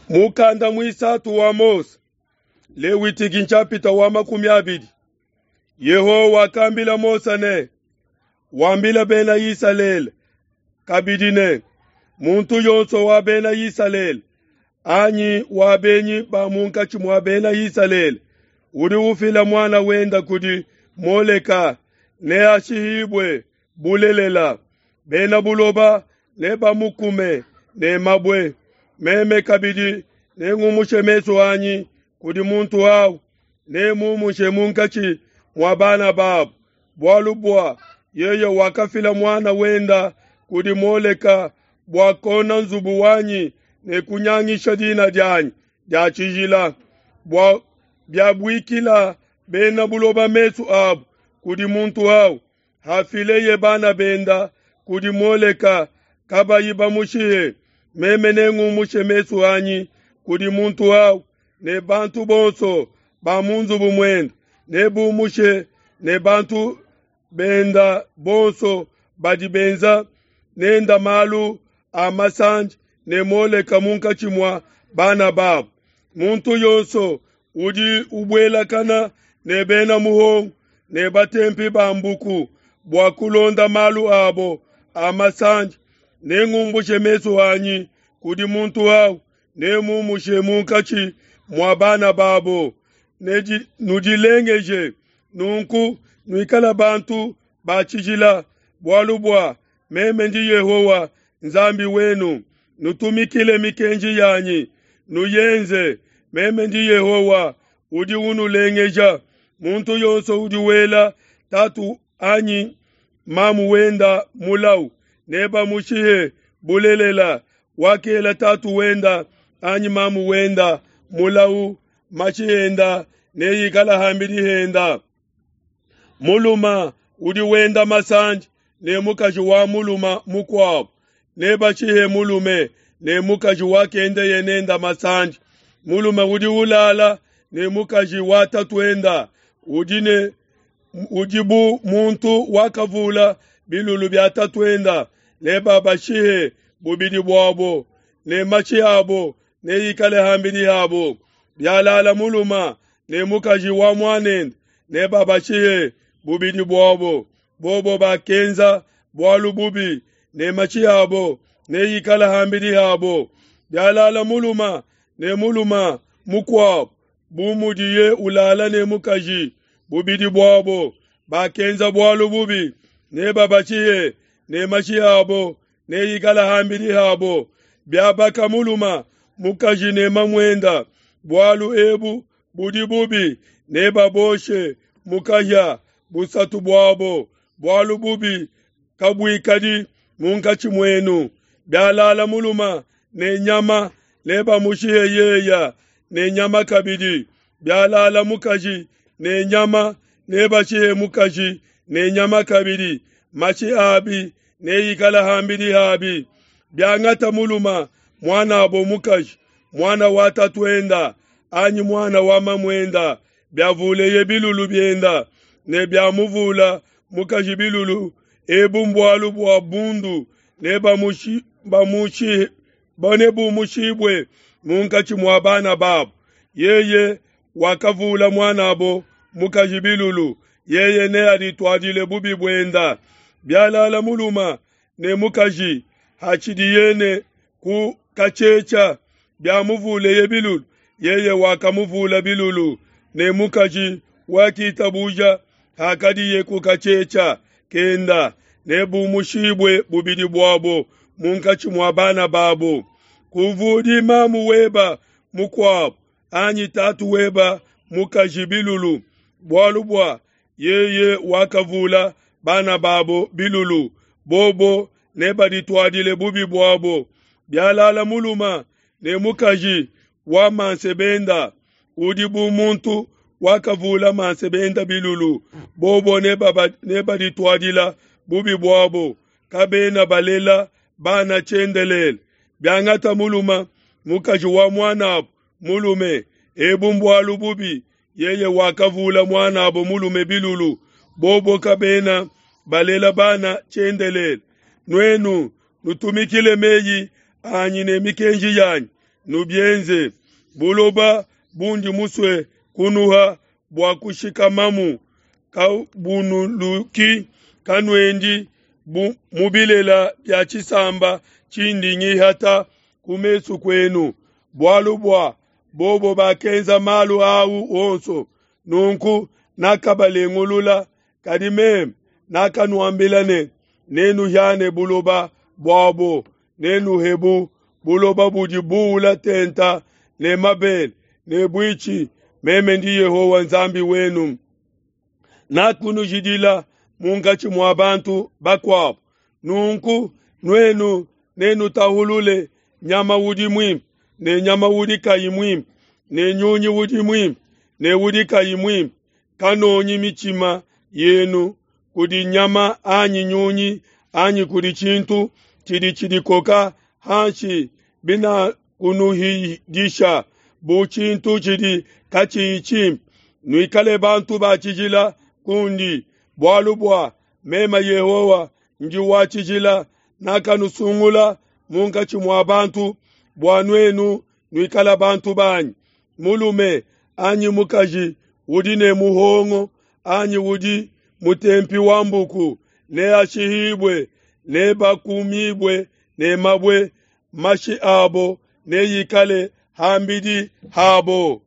Mukanda muisatu wa Mose, Lewitiki nshapita wa 20. Yehowa wakambila Mose ne, wambila bena Isalele kabidi ne, muntu yonso wa bena Isalele anyi wa benyi ba munkatshi mua bena Isalele udi ufila muana wenda kudi Moleka neashihibue bulelela. Bena buloba nebamukume ne mabue. Meme kabidi nengumushe mesu anyi kudi muntu awu, nemumushe munkatshi mua bana babu, bualu bua yeye wakafila muana wenda kudi Moleka bua kona nzubu wanyi ne kunyangisha dina dianyi dia tshijila, bua biabuikila bena buloba mesu abu kudi muntu awu, hafileye bana benda kudi Moleka kabayi bamushihe. Meme nengumushe mesu anyi kudi muntu awu, ne bantu bonso ba mu nzubu muende nebumushe, ne bantu benda bonso badi benza nenda malu a masandi ne Moleka munkatshi mua bana babu. Muntu yonso udi ubuelakana ne bena muhongo ne batempi ba mbuku bua kulonda malu abo a masandi, nengumbushe mesu anyi kudi muntu awu, nemumushe munkatshi mua bana babo. Nudilengeje nunku, nuikala bantu ba tshijila, bualu bua meme ndi Yehowa Nzambi wenu. Nutumikile mikenji yanyi, nuyenze. Meme ndi Yehowa udi unulengeja. Muntu yonso udi wela tatu anyi mamu wenda mulau, nebamushihe bulelela. Wakela tatu wenda anyi mamu wenda mulau, mashi enda neikala hambidi henda. Muluma udi wenda masandi ne mukaji wa muluma mukuabu, nebashihe mulume ne mukaji wakendeye nenda masandi. Mulume udi ulala ne mukaji wa tatuenda udi bu muntu wakavula bilulu bia tatuenda, nebabashihe bubidi buabo, ne mashi abo neikale hambidi habo. Bialala muluma ne mukaji wa muanende, nebabashihe bubidi buabo. Bobo bakenza bualu bubi, ne mashi abo neikale hambidi habo. Bialala muluma ne muluma mukuabo, bu mudiye ulala ne mukaji, bubidi buabo bakenza bualu bubi, nebabashihe, ne mashi abo neikale hambidi habo. Biabaka muluma mukaji ne mamuenda, bualu ebu budi bubi, nebaboshe mukahia busatu buabo. Bualu bubi kabuikadi munkatshi muenu. Bialala muluma ne nyama, nebamushihe yeya ne nyama kabidi. Bialala mukaji ne nyama, nebashihe mukaji ne nyama kabidi. Mashi abi neikala hambidi habi. Biangata muluma muanabo mukaji, muana wa tatuenda anyi muana wa mamuenda, biavuleye bilulu bienda ne biamuvula mukaji bilulu, ebu mbualu bua bundu, nebumushibue munkatshi mua bana babu. Yeye wakavula muanabo mukaji bilulu, yeye neadituadile bubi buenda. Bialala muluma ne mukaji hatshidiye ne ku katshetshia, biamuvuleye bilulu, yeye wakamuvula bilulu, ne mukaji wakitabuja hakadiye ku katshetshia kenda, nebumushibue bubidi buabo munkatshi mua bana babo. Kuvudi mamu weba mukuabo anyi tatu weba mukaji bilulu, bualu bua yeye wakavula bana babo bilulu, bobo nebadituadile bubi buabo. Bialala muluma ne mukaji wa mansebenda, udi bu muntu wakavula mansebenda bilulu, bobo nebadituadila bubi buabo. Kabena balela bana tshiendelele. Biangata muluma mukaji wa muanabo mulume, ebu mbualu bubi, yeye wakavula muanabo mulume bilulu, bobo kabena balela bana tshiendelele. Nuenu nutumikile meyi anyi ne mikenji yanyi, nubienze. Buloba bundi musue kunuha bua kushikamamu kabunuluki, kanuendi bu mu bilela bia tshisamba tshindi ngihata ku mesu kuenu, bualu bua bobo bakenza malu au onso, nunku nakabalengulula. Kadi meme nakanuambila ne, Nenuhiane buloba buabo, nenuhebu buloba budi buula tenta ne mabele ne buitshi. Meme ndi Yehowa Nzambi wenu. Nakunujidila munkatshi mua bantu bakuabo. Nunku nuenu nenutahulule nyama udi muimpe ne nyama udi kayi muimpe, ne nyunyi udi muimpe ne udi kayi muimpe. Kanonyi mitshima yenu kudi nyama anyi nyunyi anyi kudi tshintu tshidi tshidikoka hanshi binakunuhidisha bu tshintu tshidi katshiyi tshimpe. Nuikale bantu ba tshijila kundi, bualu bua meme Yehowa ndi wa tshijila, nakanusungula munkatshi mua bantu bua nuenu nuikale bantu banyi. Mulume anyi mukaji udi ne muhongo anyi udi mutempi wa mbuku neashihibue, nebakumibue ne mabue, mashi abo neikale ham'bidi habo.